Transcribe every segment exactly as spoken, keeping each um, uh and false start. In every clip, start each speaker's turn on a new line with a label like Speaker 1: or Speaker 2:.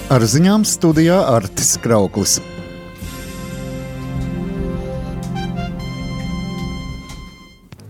Speaker 1: Ar ziņām studijā Artis Krauklis.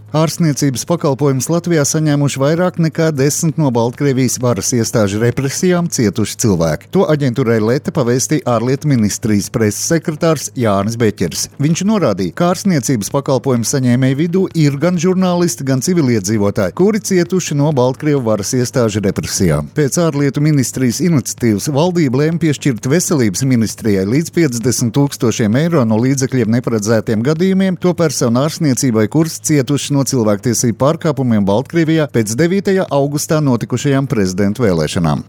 Speaker 1: Ārstniecības pakalpojumus Latvijā saņēmuši vairāk nekā desmit no Baltkrievijas varas iestāžu represijām cietuši cilvēki. To aģentūrai Lete pavēstīja ārlietu ministrijas preses sekretārs Jānis Beķeris. Viņš norādīja, ka ārstniecības pakalpojumu saņēmēju vidū ir gan žurnālisti, gan civiliedzīvotāji, kuri cietuši no Baltkrievu varas iestāžu represijām. Pēc ārlietu ministrijas iniciatīvas valdība lēma piešķirt veselības ministrijai līdz piecdesmit tūkstošiem eiro no līdzekļiem neparedzētiem gadījumiem to personu ārstniecībai, kuras cietuši no cilvēktiesību pārkāpumiem Baltkrievijā pēc devītajā augustā notikušajām prezidentu vēlēšanām.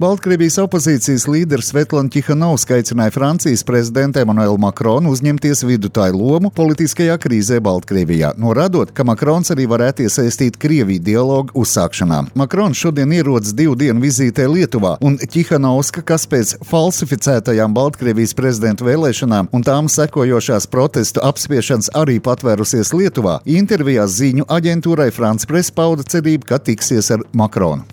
Speaker 1: Baltkrievijas opozīcijas līderis Svetlana Ķihanovska aicināja Francijas prezidentu Emmanuelu Macronu uzņemties vidutāju lomu politiskajā krīzē Baltkrievijā, norādot, ka Macrons arī varētu iesaistīt Krieviju dialogu uzsākšanā. Macrons šodien ierodas divu dienu vizītē Lietuvā, un Ķihanovska, kas pēc falsificētajām Baltkrievijas prezidentu vēlēšanām un tām sekojošās protestu apspiešanas arī patvērusies Lietuvā, intervijā ziņu aģentūrai France Press pauda cerību, ka tiksies ar Macronu.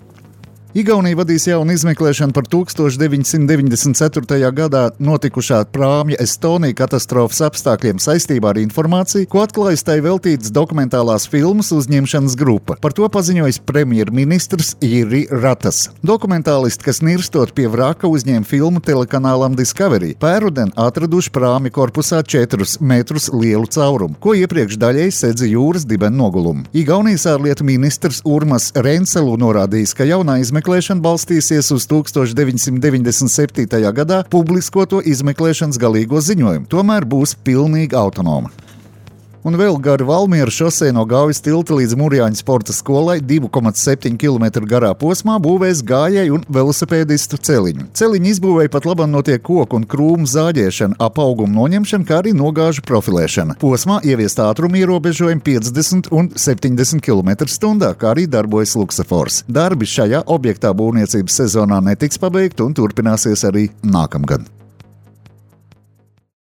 Speaker 1: Igaunija vadīs jaunu izmeklēšanu par tūkstoš deviņsimt deviņdesmit ceturtajā gadā notikušā prāmja Estonija katastrofas apstākļiem saistībā ar informāciju, ko atklājas tai veltītas dokumentālās filmas uzņemšanas grupa. Par to paziņojis premjerministrs Jiri Ratas. Dokumentālisti, kas nirstot pie vraka, uzņēma filmu telekanālam Discovery. Pērruden atraduši prāmja korpusā četrus metrus lielu caurumu, ko iepriekš daļēji sedza jūras dibena nogulumu. Igaunijas ārlietu ministrs Urmas Reinsalu norādījis, ka jaunā izmeklēšana Izmeklēšana balstīsies uz tūkstoš deviņsimt deviņdesmit septītajā gadā publiskoto izmeklēšanas galīgo ziņojumu, tomēr būs pilnīgi autonoma. Un vēl gari Valmiera šosei no Gaujas tilta līdz Murjāņu sporta skolai divi komats septiņi kilometri garā posmā būvēs gājēju un velosipēdistu celiņu. Celiņu izbūvēja pat labam notiek koku un krūmu zāģēšana, ap augumu noņemšana, kā arī nogāžu profilēšana. Posmā ieviest ātrumu ierobežojumi piecdesmit un septiņdesmit kilometru stundā, kā arī darbojas luksafors. Darbi šajā objektā būvniecības sezonā netiks pabeigti un turpināsies arī nākamgad.